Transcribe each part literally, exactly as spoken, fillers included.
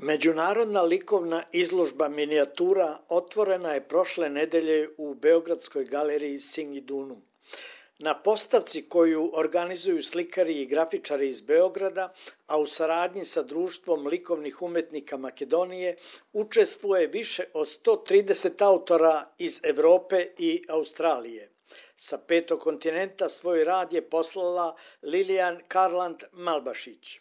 Međunarodna likovna izložba minijatura otvorena je prošle nedelje u Beogradskoj galeriji Singidunum. Na postavci koju organizuju slikari i grafičari iz Beograda, a u saradnji sa Društvom likovnih umetnika Makedonije, učestvuje više od sto trideset autora iz Evrope i Australije. Sa petog kontinenta svoj rad je poslala Lilijan Karland Malbašić.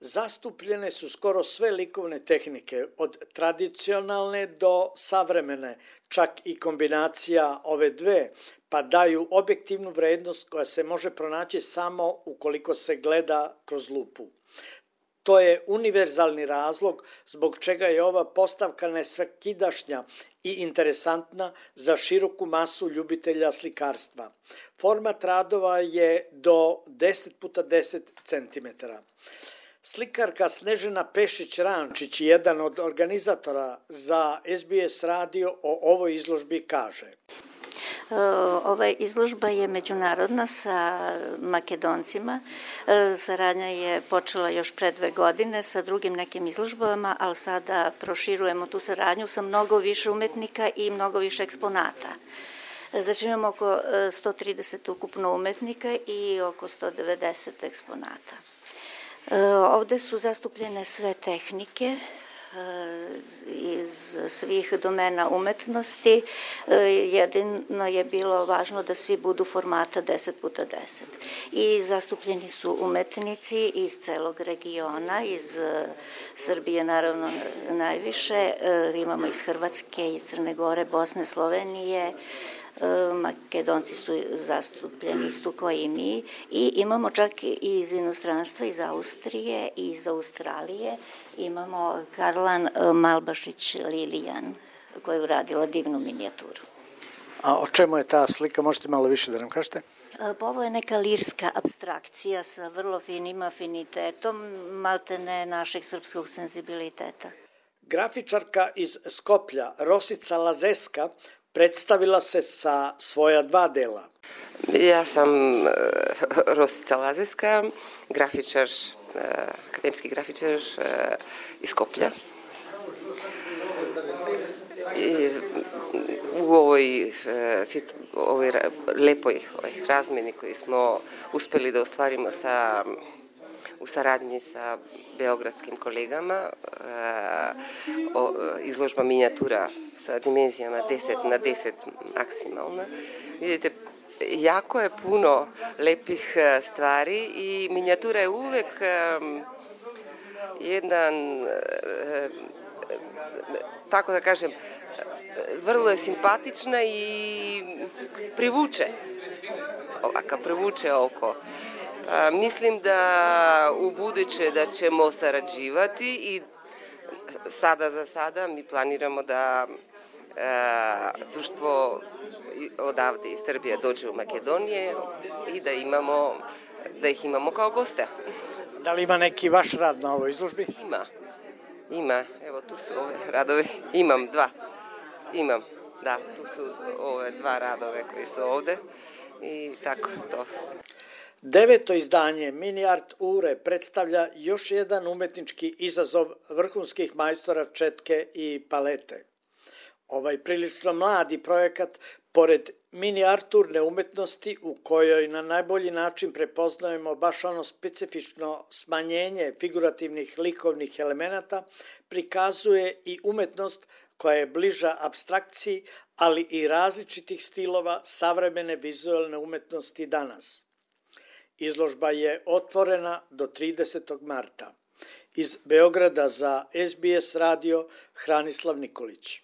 Zastupljene su skoro sve likovne tehnike, od tradicionalne do savremene, čak i kombinacija ove dve, pa daju objektivnu vrednost koja se može pronaći samo ukoliko se gleda kroz lupu. To je univerzalni razlog zbog čega je ova postavka nesvakidašnja i interesantna za široku masu ljubitelja slikarstva. Format radova je do deset puta deset centimetara. Slikarka Snežana Pešić-Rančić, jedan od organizatora za S B S radio, o ovoj izložbi kaže. Ova izložba je međunarodna sa Makedoncima. Saradnja je počela još pre dve godine sa drugim nekim izložbama, ali sada proširujemo tu saradnju sa mnogo više umetnika i mnogo više eksponata. Znači imamo oko sto trideset ukupno umetnika i oko sto devedeset eksponata. Ovde su zastupljene sve tehnike iz svih domena umetnosti. Jedino je bilo važno da svi budu formata deset puta deset. I zastupljeni su umetnici iz celog regiona, iz Srbije naravno najviše, imamo iz Hrvatske, iz Crne Gore, Bosne, Slovenije, Makedonci su zastupljeni isto kao i mi i imamo čak i iz inostranstva, iz Austrije i iz Australije. Imamo Karlan Malbašić Lilijan koja je uradila divnu minijaturu. A o čemu je ta slika? Možete malo više da nam kažete? Ovo je neka lirska apstrakcija sa vrlo finim afinitetom, maltene našeg srpskog senzibiliteta. Grafičarka iz Skoplja, Rosica Lazeska, predstavila se sa svoja dva dela. Ja sam Rosica Lazeska, grafičar, akademski grafičar iz Skoplja. I u ovoj, ovoj lepoj ovoj razmeni koju smo uspeli da ostvarimo sa, u saradnji sa beogradskim kolegama, izložba minijatura sa dimenzijama deset na deset maksimalna. Vidite, jako je puno lepih stvari i minijatura je uvek jedan, tako da kažem, vrlo je simpatična i privuče, ovaka, privuče oko. A, mislim da u buduće da ćemo sarađivati i sada za sada mi planiramo da a, društvo odavde iz Srbije dođe u Makedonije i da imamo, da ih imamo kao goste. Da li ima neki vaš rad na ovoj izložbi? Ima, ima. Evo tu su ove radovi. Imam dva. Imam, da. Tu su ove dva radove koji su ovde i tako to. Deveto izdanje Mini Art Ure predstavlja još jedan umetnički izazov vrhunskih majstora četke i palete. Ovaj prilično mladi projekat, pored minijaturne umetnosti u kojoj na najbolji način prepoznajemo baš ono specifično smanjenje figurativnih likovnih elemenata, prikazuje i umetnost koja je bliža apstrakciji, ali i različitih stilova savremene vizualne umetnosti danas. Izložba je otvorena do tridesetog marta. Iz Beograda za S B S radio Hranislav Nikolić.